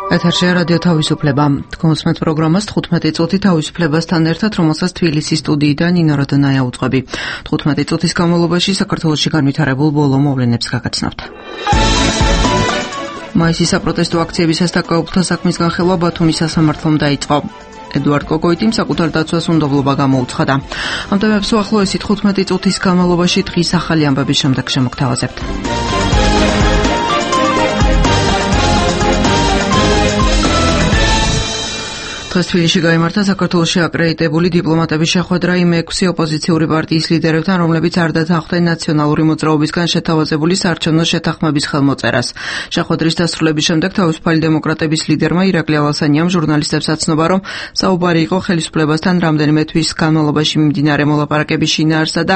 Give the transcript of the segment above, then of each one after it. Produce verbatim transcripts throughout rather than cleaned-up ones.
ეთერშია რადიო თავისუფლება. თქვენს პროგრამას თხუთმეტი წუთი თავისუფლებასთან ერთად, რომელსაც თბილისის სტუდიიდან ნინო როდონაია უძღვები. თხუთმეტი წუთის განმავლობაში საქართველოში განვითარებულ ბოლო მოვლენებს გაგაცნობთ. მაისის საპროტესტო აქციების სასტაკაობთა საქმის განხილვა ბათუმის სასამართლომ დაიწყო. ედუარდ კოკოიტიმ საკუთარ დაცვას უნდობლობა გამოუცხადა. ამ თემებს უახლოესი თხუთმეტი წუთის განმავლობაში დღის ახალი ამბების შემდეგ შემოგთავაზებთ. დღეს თბილისში გაიმართა საქართველოში აკრედიტებული დიპლომატების შეხვედრა იმ ექვსი ოპოზიციური პარტიის ლიდერებთან, რომლებიც არ დათანხმდნენ ნაციონალური მოძრაობისგან შეთავაზებული საარჩევნო შეთანხმების ხელმოწერას. შეხვედრის დასრულების შემდეგ თავისუფალი დემოკრატების ლიდერმა ირაკლი ალასანიამ ჟურნალისტებს აცნობა, რომ საუბარი იყო ხელისუფლებასთან რამდენიმე თვის განმავლობაში მიმდინარე მოლაპარაკების შინაარსსა და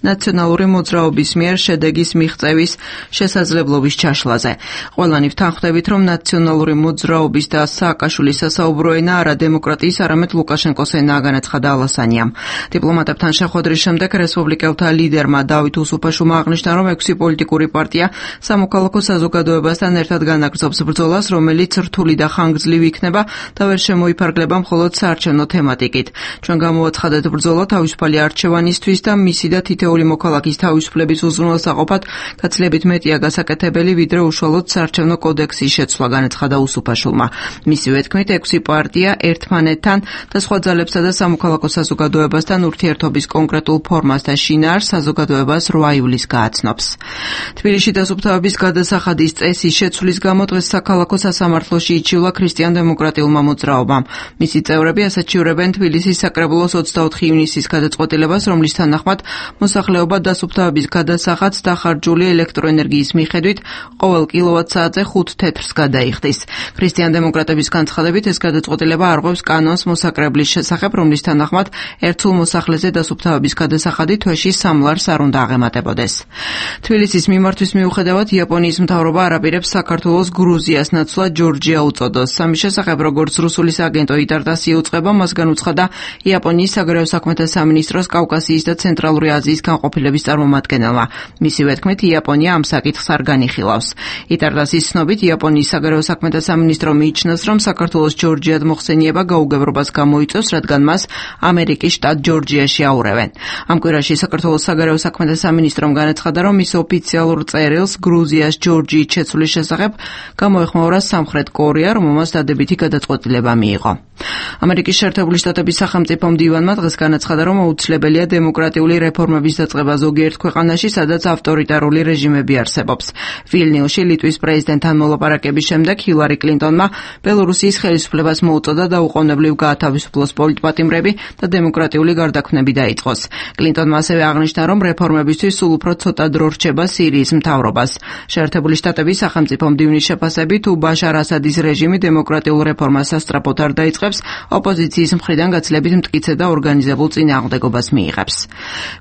ნაციონალური მოძრაობის მიერ შედეგის მიღწევის შესაძლებლობის ჩაშლაზე. ყველანი ვთანხმდებით, რომ ნაციონალური მოძრაობის და სააკაშვილის სასაუბრო ენა არა დემოკრატიის, არამედ ლუკაშენკოს ენაა, განაცხადა ალასანიამ. დიპლომატებთან შეხვედრის შემდეგ რესპუბლიკელთა ლიდერმა დავით უსუფაშვილმა აღნიშნა, რომ ექვსი პოლიტიკური პარტია სამოქალაქო საზოგადოებასთან ერთად განაგრძობს ბრძოლას, რომელიც რთული და ხანგრძლივი იქნება და ვერ შემოიფარგლება მხოლოდ საარჩევნო თემატიკით. ჩვენ გამოვაცხადეთ ბრძოლა თავისუფალი არჩევანისთვის და მისი და თითოეული მოქალაქის თავისუფლების უზრუნველსაყოფად გაცილებით მეტია გასაკეთებელი, ვიდრე უშუალოდ საარჩევნო კოდექსის შეცვლა, განაცხადა უსუფაშვილმა. მისივე თქმით, ექვსი პარტია ერთმანეთთან და სხვა ძალებსა და სამოქალაქო საზოგადოებასთან ურთიერთობის კონკრეტულ ფორმას და შინაარსს საზოგადოებას რვა ივლისს გააცნობს. თბილისში დასუფთავების გადასახადის წესის შეცვლის გამო დღეს საქალაქო სასამართლოში იჩივლა ქრისტიან-დემოკრატიულმა მოძრაობამ. მისი წევრები ასაჩივრებენ თბილისის საკრებულოს ოცდაოთხი ივნისის გადაწყვეტილებას, რომლის თანახმად მოსახლეობა დასუფთავების გადასახადს დახარჯული ელექტროენერგიის მიხედვით ყოველ კილოვატ-საათზე ხუთ თეთრს გადაიხდის. ქრისტიან-დემოკრატების განცხადებით ეს გადაწყვეტილება არღვევს კანონს მოსაკრებლის შესახებ, რომლის თანახმად ერთსულ მოსახლეზე დასუფთავების გადასახადი თვეში სამ ლარს არ უნდა აღემატებოდეს. თბილისის მიმართვის მიუხედავად, იაპონიის მთავრობა არ აპირებს საქართველოს გრუზიას ნაცვლად ჯორჯია უწოდოს. სამის შესახებ, როგორც რუსული სააგენტო იტარტასი უწყება, მას განუცხადა იაპონიის საგარეო საქმეთა სამინისტროს კავკასიის და ცენტრალური აზიის განყოფილების წარმომადგენელმა. მისივე თქმით, იაპონია ამ საკითხს არ განიხილავს. იტარტასის ცნობით, იაპონიის საგარეო საქმეთა სამინისტრო მიიჩნევს, რომ საქართველოს ჯორჯიად მოხსენიება გაუგებრობას გამოიწვევს, რადგან მას ამერიკის შტატ ჯორჯიაში აურევენ. ამ კვირაში საქართველოს საგარეო საქმეთა სამინისტრომ განაცხადა, რომ ის ოფიციალურ წერილს გრუზიას ჯორჯიით შეცვლის შესახებ გამოეხმაურა სამხრეთ კორეა, რომელმაც დადებითი გადაწყვეტილება მიიღო. ამერიკის შეერთებული შტატების სახელმწიფო მდივანმა დღეს განაცხადა, რომ აუცილებელია დემოკრატიული რეფორმების დაწყება ზოგიერთ ქვეყანაში, სადაც ავტორიტარული რეჟიმები არსებობს. ვილნიუსში ლიტვის პრეზიდენტთან მოლაპარაკების შემდეგ ჰილარი კლინტონმა ბელორუსიის ხელისუფლებას მოუწოდა დაუყოვნებლივ გაათავისუფლოს პოლიტპატიმრები და დემოკრატიული გარდაქმნები დაიწყოს. კლინტონმა ასევე აღნიშნა, რომ რეფორმებისთვის სულ უფრო ცოტა დრო რჩება სირიის მთავრობას. შეერთებული შტატების სახელმწიფო მდივნის შეფასებით, თუ ბაშარ ასადის რეჟიმი დემოკრატიულ რეფორმას სასწრაფოდ არ დაიწყებს, ოპოზიციის მხრიდან გაცილებით მტკიცე და ორგანიზებულ წინააღმდეგობას მიიღებს.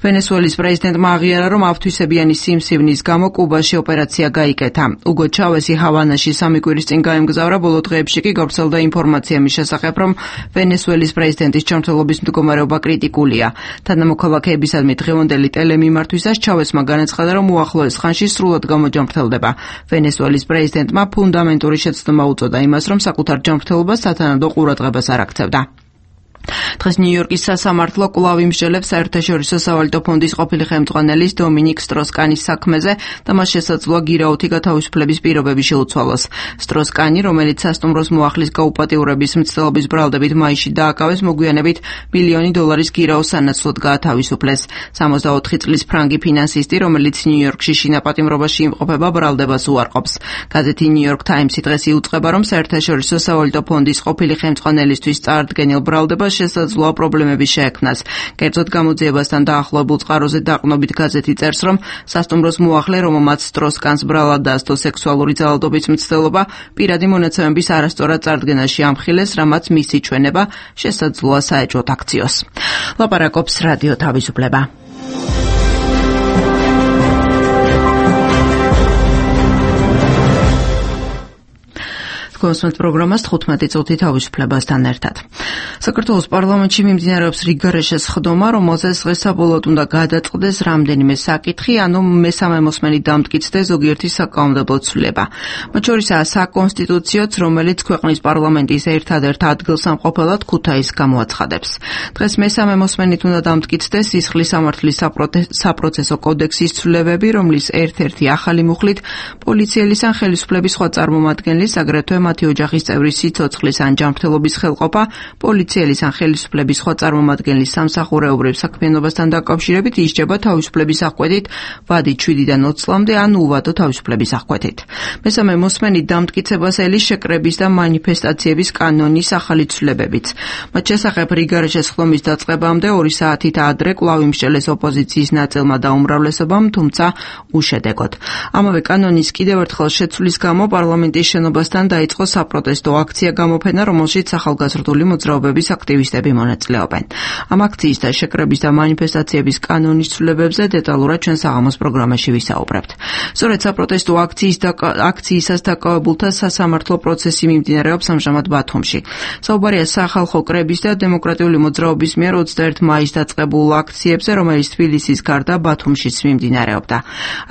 ვენესუელის პრეზიდენტმა აღიარა, რომ ავთვისებიანი სიმსივნის გამო კუბაში ოპერაცია გაიკეთა. უგო ჩავესი ჰავანაში სამი კვირის წინ გაემგზავრა, ბოლო დღეებში კი გავრცელდა ინფორმაცია მის შესახებ, რომ ვენესუელის პრეზიდენტის ჯანმრთელობის მდგომარეობა კრიტიკულია. თანამოქალაქეებისადმი დღევანდელი ტელემიმართვისას ჩავესმა განაცხადა, რომ უახლოეს ხანში სრულად გამოჯანმრთელდება. ვენესუელის პრეზიდენტმა ფუნდამენტური შეცდომა უწოდა იმას, რომ საკუთარ ჯანმრთელობას სათანადო ყურადღებას არ აქცევდა. დღეს ნიუ-იორკის სასამართლო კვლავ იმსჯელებს საერთაშორისო სავალუტო ფონდის ყოფილი ხელმძღვანელის დომინიკ სტროს-კანის საქმეზე და მას შესაძლოა გირაოთი გათავისუფლების პირობები შეუცვალოს. სტროს-კანი, რომელიც სასტუმროს მოახლის გაუპატიურების მცდელობის ბრალდებით მაისში დააკავეს, მოგვიანებით მილიონი დოლარის გირაოს სანაცვლოდ გაათავისუფლეს. სამოცდაოთხი წლის ფრანგი ფინანსისტი, რომელიც ნიუ-იორკში შინაპატიმრობაში იმყოფება, ბრალდებას უარყოფს. გაზეთი ნიუ-იორკ ტაიმსი დღეს იუწყება, რომ საერთაშორისო სავალუტო ფონდის ყოფილი ხელმძღვანელისთვის წარდგენილ ბრალდებას შესაძლოა პრობლემები შეექმნას. კერძოდ გამოძიებასთან დაახლოებულ წყაროზე დაყრდნობით გაზეთი წერს, რომ სასტუმროს მოახლე, რომელმაც სტროს-კანს ბრალად დაასდო სექსუალური ძალადობის მცდელობა, პირადი მონაცემების არასწორად წარდგენაში ამხილეს, რამაც მისი ჩვენება შესაძლოა საეჭვოდ აქციოს. ლაპარაკობს რადიო თავისუფლება. თქვენს პროგრამას თხუთმეტი წუთი თავისუფლებასთან ერთად. საქართველოს პარლამენტში მიმდინარეობს რიგარეშეს ხდომა, რომელზეც დღეს საბოლოოდ უნდა გადაწყდეს რამდენიმე საკითხი, ანუ მესამე მოსმენი დამტკიცდეს ზოგიერთი საკანონმდებლო ცვლილება. მათ შორისაა საკონსტიტუციოც, რომელიც ქვეყნის პარლამენტის ერთადერთ ადგილსამყოფელად ქუთაისს გამოაცხადებს. დღეს მესამე მოსმენით უნდა დამტკიცდეს სისხლის სამართლის საპროცესო კოდექსის ცვლილებები, რომლის ერთ-ერთი ახალი მუხლით პოლიციელის ან ხელისუფლების სხვა წარმომადგენლის, აგრეთვე მათი ოჯახის წევრის სიცოცხლის ან ჯანმრთელობის ხელყოფა, პოლიციელის ან ხელისუფლების სხვა წარმომადგენლის სამსახურეობრივ საქმიანობასთან დაკავშირებით ისჯება თავისუფლების აღკვეთით ვადით შვიდიდან ოცი წლამდე ან უვადო თავისუფლების აღკვეთით. მესამე მოსმენით დამტკიცებას ელის შეკრების და მანიფესტაციების კანონის ახალი ცვლილებებიც. მათ შესახებ რიგარეშეს ხდომის დაწყებამდე ორი საათით ადრე კვლავ იმსჯელეს ოპოზიციის ნაწილმა და უმრავლესობამ, თუმცა უშედეგოდ. ამავე კანონის კიდევ ერთხელ შეცვლის გამო პარლამენტის შენობასთან დაიწყო საპროტესტო აქცია გამოფენა, რომელშიც ახალგაზრდული მოძრაობების აქტივისტები მონაწილეობენ. ამ აქციის და შეკრების და მანიფესტაციების კანონის ცვლილებებზე დეტალურად ჩვენ საღამოს პროგრამაში ვისაუბრებთ. სწორედ საპროტესტო აქციის და აქციისას დაკავებულთა სასამართლო პროცესი მიმდინარეობს ამჟამად ბათუმში. საუბარია სახალხო კრების და დემოკრატიული მოძრაობის მიერ ოცდაერთი მაისს დაწყებულ აქციებზე, რომელიც თბილისის გარდა ბათუმშიც მიმდინარეობდა.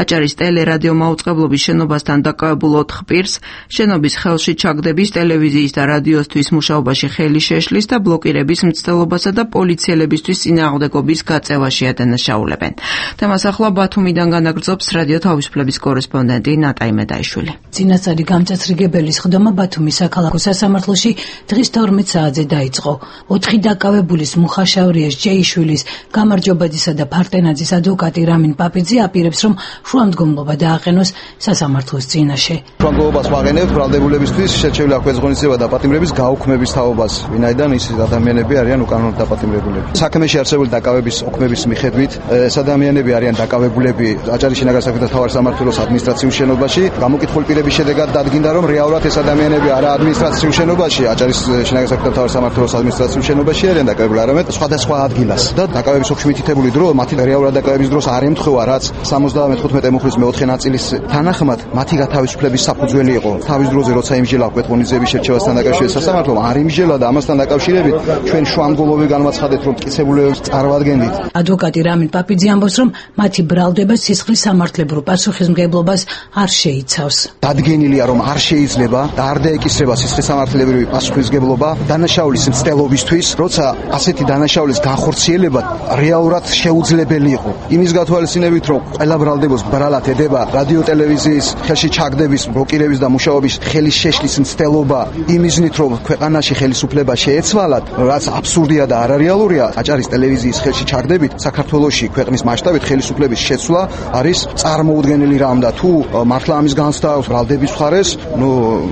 აჭარის ტელერადიო მაუწყებლობის შენობასთან დაკავებულ ოთხ პირს შენობის ხელში ჩაგდების, ტელევიზიის და რადიოსთვის მუშაობაში ხელი შეშლის და ბლოკირების მცდელობასა და პოლიციელებისთვის წინააღმდეგობის გაწევაში ადანაშაულებენ. თემას ახლა ბათუმიდან განაგრძობს რადიო თავისუფლების კორესპონდენტი ნატაი მედაიშვილი. წინასწარი გამწესრიგებელის ხდომა ბათუმის საქალაქო სასამართლოში დღის თორმეტ საათზე დაიწყო. ოთხი დაკავებულის მუხაშავრიეს ჯეიშვილის, გამარჯობაძისა და ფარტენაძის ადვოკატი რამინ პაპიძე აპირებს, რომ შუამდგომლობა დააყენოს სასამართლოს წინაშე. შუამდგომლობას ვაღენებთ ბრალდებულებისთვის, შეჩევლილი აქვს ღონისძიება და პატიმრების გაუქმების თაობას, ვინაიდან ის ადამიანები არიან უკანონოდ დაპატიმრებულები. საქმეში არსებული დაკავების ოქმების მიხედვით ეს ადამიანები არიან დაკავებულები აჭარის შინაგან საქმეთა მთავარი სამმართველოს ადმინისტრაციულ შენობაში. გამოკითხული პირების შედეგად დადგინდა, რომ რეალურად ეს ადამიანები არა ადმინისტრაციულ შენობაში, აჭარის შინაგან საქმეთა მთავარი სამმართველოს ადმინისტრაციულ შენობაში არიან დაკავებული, არამედ სხვადასხვა ადგილას. და დაკავების ოქმში მითითებული დრო, მათი რეალურად დაკავების დროს არ ემთხვევა, რაც სამოცდამეხუთმეტე მუხლის მეოთხე ნაწილის თანახმად მათი გათავისუფლების საფუძველი იყო. თავის დროზე როცა იმსჯელა კვეთღონიძეების შერჩევასთან დაკავშირებით სასამართლომ არ იმსჯელა და ამასთან დაკავშირებით ჩვენ შუამდგომლობები განვაცხადეთ, რომ მტკიცებულებებს წარმოადგენდით. ადვოკატი რამინ პაპიძე ამბობს, რომ მათი ბრალდება სისხლის სამართლებრივ პასუხისმგებლობას არ შეიცავს. დადგენილია, რომ არ შეიძლება და არ დაეკისრება სისხლის სამართლებრივი პასუხისმგებლობა დანაშაულის მცდელობისთვის, როცა ასეთი დანაშაულის განხორციელება რეალურად შეუძლებელი იყო. იმის გათვალისწინებით, რომ ყველა ბრალდებას ბრალად ედება რადიო ტელევიზიის ხელში ჩაგდების, ბლოკირების და მუშაობის ხელის შეშლის მცდელობა, იმიზნით, რომ ქვეყანაში ხელისუფლება შეეცვალათ, რაც აბსურდია და არარეალურია, აჭარის ტელევიზიის ხელში ჩაგდებით საქართველოში ქვეყნის მასშტაბით ხელისუფლების შეცვლა არის წარმოუდგენელი რამ და თუ მართლა ამის განცდა აქვს ბრალდების მხარეს, ნუ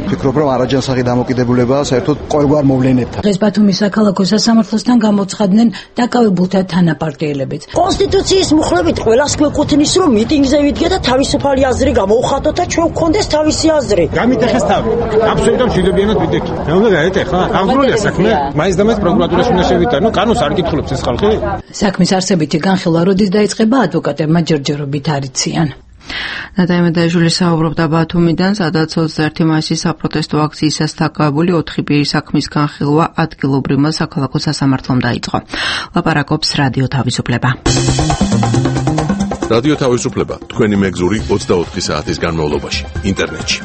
ვფიქრობ, რომ არაჯანსაღი დამოკიდებულებაა საერთოდ ყოველგვარ მოვლენებთან. დღეს ბათუმის საქალაქო სასამართლოსთან გამოცხადდნენ დაკავებულთა თანაპარტიელებიც. კონსტიტუციის მუხლებით ყველას გვეკუთვნის, რომ მიტინგზე ვიდგე და თავისუფალი აზრი გამოვხატოთ და ჩვენ გვქონდეს თავისი აზრი. გამიტეხეს თავი. აბსოლუტურად მშვიდობიანად ვიდექი. რა უნდა გაეტეხა? აღძრულია საქმე. მაინც და მაინც პროკურატურაში უნდა შევიდა. ნუ კანონს არ კითხულობს ეს ხალხი. საქმის არსებითი განხილვა როდის დაიწყება, ადვოკატებმა ჯერჯერობით არ იციან. ნატაი მედაიშვილი საუბრობდა ბათუმიდან, სადაც ოცდაერთი მაისის საპროტესტო აქციისას დაკავებული ოთხი პირის საქმის განხილვა ადგილობრივმა საქალაქო სასამართლომ დაიწყო. ლაპარაკობს რადიო თავისუფლება. რადიო თავისუფლება თქვენი მეგზური ოცდაოთხი საათის განმავლობაში ინტერნეტში.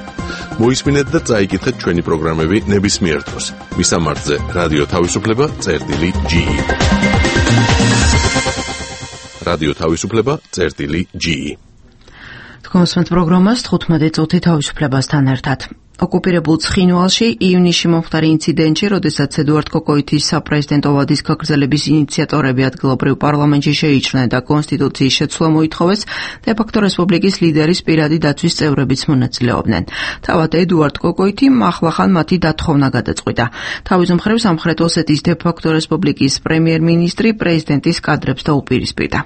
მოისმინეთ და წაიკითხეთ ჩვენი პროგრამები ნებისმიერ დროს. მისამართზე რადიო თავისუფლება წერტილი ჯი. რადიო თავისუფლება წერტილი ჯი. თქვენს პროგრამას თხუთმეტი წუთი თავისუფლებასთან ერთად. ოკუპირებულ ცხინვალში ივნისში მომხდარი ინციდენტში, როდესაც ედუარდ კოკოითის საპრეზიდენტო ვადის გაგრძელების ინიციატორები ადგილობრივ პარლამენტში შეიჭრნენ და კონსტიტუციის შეცვლა მოითხოვეს, დე-ფაქტო რესპუბლიკის ლიდერის პირადი დაცვის წევრებიც მონაწილეობდნენ. თავად ედუარდ კოკოითიმ ახლახან მათი დათხოვნა გადაწყვიტა. თავის მხრივ სამხრეთ ოსეთის დე-ფაქტო რესპუბლიკის პრემიერ-მინისტრი პრეზიდენტის კადრებს დაუპირისპირდა.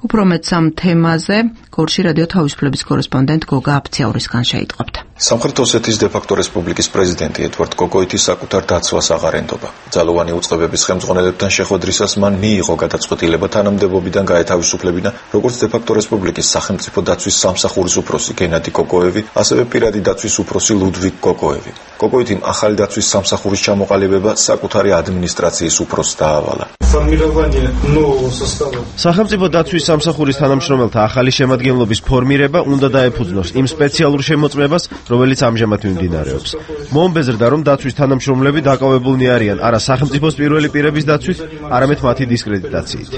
უფრო მეტ სამ თემაზე გორში რადიო თავისუფლების კორესპონდენტ გოგა აფციაურისგან შეიტყობთ. სამხრეთ ოსეთის დე-ფაქტო რესპუბლიკის პრეზიდენტი ედუარდ კოკოითის საკუთარ დაცვას აღარ ენდობა. ძალოვანი უწყებების ხელმძღვანელებთან შეხვედრისას მან მიიღო გადაწყვეტილება თანამდებობიდან გაეთავისუფლებინა როგორც დე-ფაქტო რესპუბლიკის სახელმწიფო დაცვის სამსახურის უფროსი გენადი კოკოევი, ასევე პირადი დაცვის უფროსი ლუდვიგ კოკოევი. კოკოითიმ ახალი დაცვის სამსახურის ჩამოყალიბება საკუთარი ადმინისტრაციის უფროსს დაავალა. სახელმწიფო დაცვის სამსახურის თანამშრომელთა ახალი შემადგენლობის ფორმირება უნდა დაეფუძნოს იმ სპეციალურ შემოწმებას, რომელიც ამჟამად მიმდინარეობს. მოუმბეზრდა, რომ დაცვის თანამშრომლები დაკავებულნი არიან არა სახელმწიფოს პირველი პირების დაცვით, არამედ მათი დისკრედიტაციით.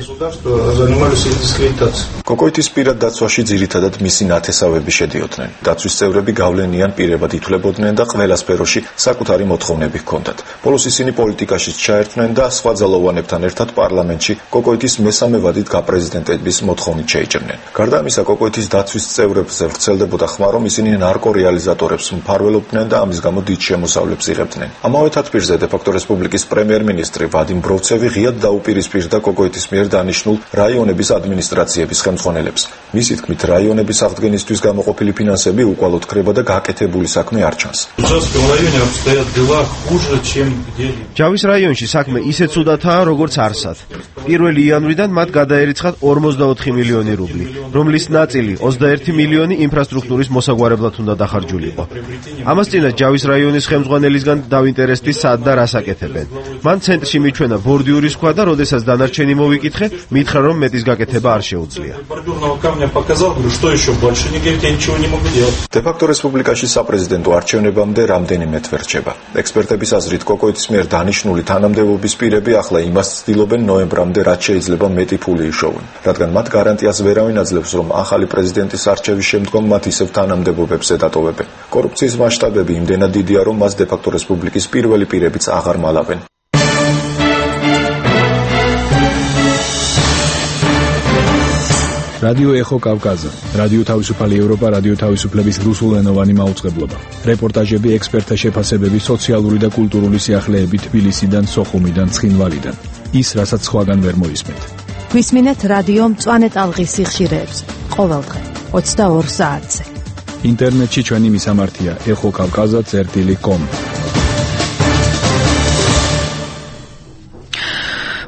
კოკოითის პირად დაცვაში ძირითადად მისი ნათესავები შედიოდნენ. დაცვის წევრები გავლენიან პირებად ითვლებოდნენ და ყველა სფეროში საკუთარი მოთხოვნები ჰქონდათ. ბოლოს ისინი პოლიტიკაშიც ჩაერთვნენ და სხვა ძალოვანებთან ერთად პარლამენტში კოკოითის მესამე ვადით გაპრეზიდენტების მოთხოვნით შეიჭრნენ. გარდა ამისა, კოკოითის დაცვის წევრებზე ვრცელდებოდა ხმა, რომ ისინი ნარკორეალიზატორებს მფარველობდნენ და ამის გამო დიდ შემოსავლებს იღებდნენ. ამავე თათბირზე დე-ფაქტო რესპუბლიკის პრემიერ-მინისტრი ვადიმ ბროვცევი ღიად დაუპირისპირდა კოკოითის მიერ დანიშნულ რაიონების ადმინისტრაციების ხელმძღვანელებს. მისი თქმით, რაიონების აღდგენისთვის გამოყოფილი ფინანსები უკვალოდ ქრება და გაკეთებული საქმე არ ჩანს. ჯავის რაიონში საქმე ისე ცუდათაა, როგორც არსად. პირველი იანვრიდან მათ გადაერიცხათ ორმოცდაოთხი მილიონი რუბლი, რომლის ნაწილი ოცდაერთი მილიონი ინფრასტრუქტურის მოსაგვარებლად უნდა დახარჯულიყო. ამასწინათ ჯავის რაიონის ხელმძღვანელისგან დავინტერესდი სად და რას აკეთებენ. მან ცენტრში მიჩვენა ბორდიურის ქვა და როდესაც დანარჩენი მოვიკითხე, მითხრა, რომ მეტის გაკეთება არ შეუძლია. დე-ფაქტო რესპუბლიკაში საპრეზიდენტო არჩევნებამდე რამდენიმე თვე რჩება. ექსპერტების აზრით, კოკოითის მიერ დანიშნული თანამდებობის პირები ახლა იმას ცდილობენ ნოემბრამდე, რაც შეიძლება მეტი ფული იშოვონ, რადგან მათ გარანტიას ვერავინ აძლევს, რომ ახალი პრეზიდენტის არჩევის შემდგომ მათ ისევ თანამდებობებს ედატოვებენ. კორუფციის მასშტაბები იმდენად დიდია, რომ მას დე-ფაქტო რესპუბლიკის პირველი პირებიც აღარ მალავენ. რადიო ეხო კავკაზა, რადიო თავისუფალი ევროპა, რადიო თავისუფლების რუსულენოვანი მაუწყებლობა. რეპორტაჟები, ექსპერტთა შეფასებები, სოციალური და კულტურული სიახლეები თბილისიდან, სოხუმიდან, ცხინვალიდან. ის, რასაც სხვაგან ვერ მოისმენთ. გვისმინეთ რადიო მწვანე ტალღის სიხშირეებს ყოველდღე ოცდაორ საათზე. ინტერნეტში ჩვენი მისამართია ეხო კავკაზა წერტილი კომ.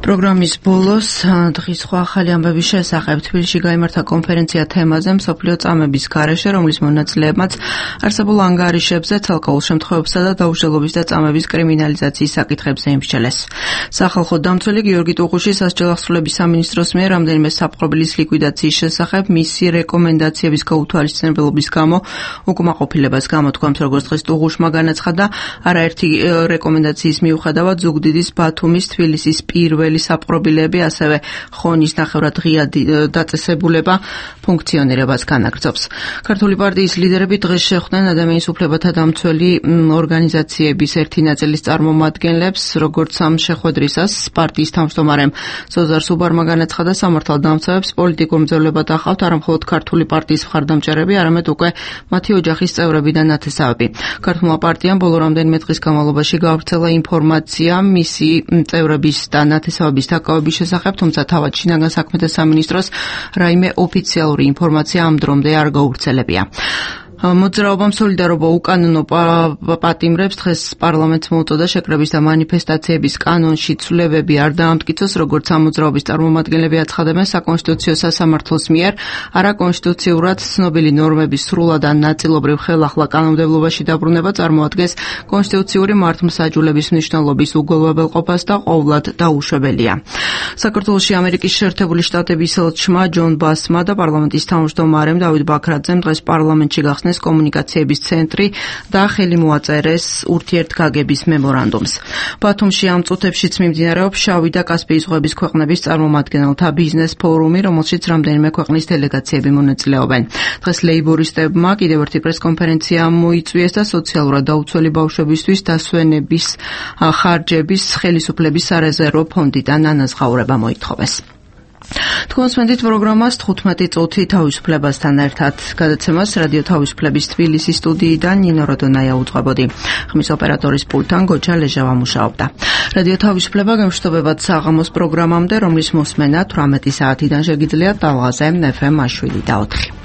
პროგრამის ბოლოს დღის სხვა ახალი ამბების შესახებ თბილისში გაიმართა კონფერენცია თემაზე მსოფლიო წამების გარეშე, რომლის მონაწილეებმაც არსებულ ანგარიშებზე, ცალკეულ შემთხვევებსა და დაუშალობის და წამების კრიმინალიზაციის საკითხებზე იმსჯელეს. სახალხო დამცველი გიორგი ტუღუში სასჯელ ახსრულების სამინისტროს მიერ რამდენიმე საპყრობილის ლიკვიდაციის შესახებ მისი რეკომენდაციების გაუთვალისწინებელობის გამო უკმაყოფილებას გამოთქვამს, როგორც დღეს ტუღუშმა განაცხადა, არაერთი რეკომენდაციის მიუხედავად ზუგდიდის, ბათუმის, თბილისის პირველი საპყრობილები, ასევე ხონის ნახევრად ღია დაწესებულება ფუნქციონირებას განაგრძობს. ქართული პარტიის ლიდერები დღეს შეხვდნენ ადამიანის უფლებათა დამცველი ორგანიზაციების ერთი ნაწილის წარმომადგენლებს, როგორც ამ შეხვედრისას პარტიის თავმჯდომარემ ზოზარ სუბარმა განაცხადა, სამართალდამცავებს პოლიტიკურ მძევლებად ახავთ არა მხოლოდ ქართული პარტიის მხარდამჭერები, არამედ უკვე მათი ოჯახის წევრები და ნათესავები. ქართულმა პარტიამ ბოლო რამდენიმე დღის განმავლობაში გაავრცელა ინფორმაცია მისი წევრების და ნათესავების დაკავების შესახებ, თუმცა თავად შინაგან საქმეთა სამინისტროს რაიმე ოფიციალური ინფორმაცია ამ დრომდე არ გაუვრცელებია. მოძრაობამ სოლიდარობა უკანონო პატიმრებს დღეს პარლამენტს მოუწოდა შეკრების და მანიფესტაციების კანონში ცვლილებები არ დაამტკიცოს, როგორც ამ მოძრაობის წარმომადგენლები აცხადებენ, საკონსტიტუციო სასამართლოს მიერ არაკონსტიტუციურად ცნობილი ნორმების სრულად ან ნაწილობრივ ხელახლა კანონმდებლობაში დაბრუნება წარმოადგენს კონსტიტუციური მართლმსაჯულების მნიშვნელობის უგულებელყოფას და ყოვლად დაუშვებელია. საქართველოში ამერიკის შეერთებული შტატების ელჩმა ჯონ ბასმა და პარლამენტის თავმჯდომარემ დავით ბაქრაძემ დღეს პარლამენტში გახსნეს კომუნიკაციების ცენტრი და ხელი მოაწერეს ურთიერთგაგების მემორანდუმს. ბათუმში ამ წუთებშიც მიმდინარეობს შავი და კასპიის ზღვების ქვეყნების წარმომადგენელთა ბიზნეს ფორუმი, რომელშიც რამდენიმე ქვეყნის დელეგაციები მონაწილეობენ. დღეს ლეიბორისტებმა კიდევ ერთი პრესკონფერენცია მოიწვიეს და სოციალურად დაუცველი ბავშვებისთვის დასვენების ხარჯების ხელისუფლების სარეზერვო ფონდიდან ანაზღაურება მოითხოვეს. თქვენსმენდით პროგრამას თხუთმეტი წუთი თავისუფლებასთან ერთად. გადაცემას რადიო თავისუფლების თბილისის სტუდიიდან ნინო როდონაია უძღვებოდი. ხმის ოპერატორის პულტთან გოჯა ლეჟავა მუშაობდა. რადიო თავისუფლება გამშვიდობებად საღამოს პროგრამამდე, რომლის მოსმენა თვრამეტი საათიდან შეგიძლიათ ტალღაზე ეფ ემ შვიდი და ოთხი.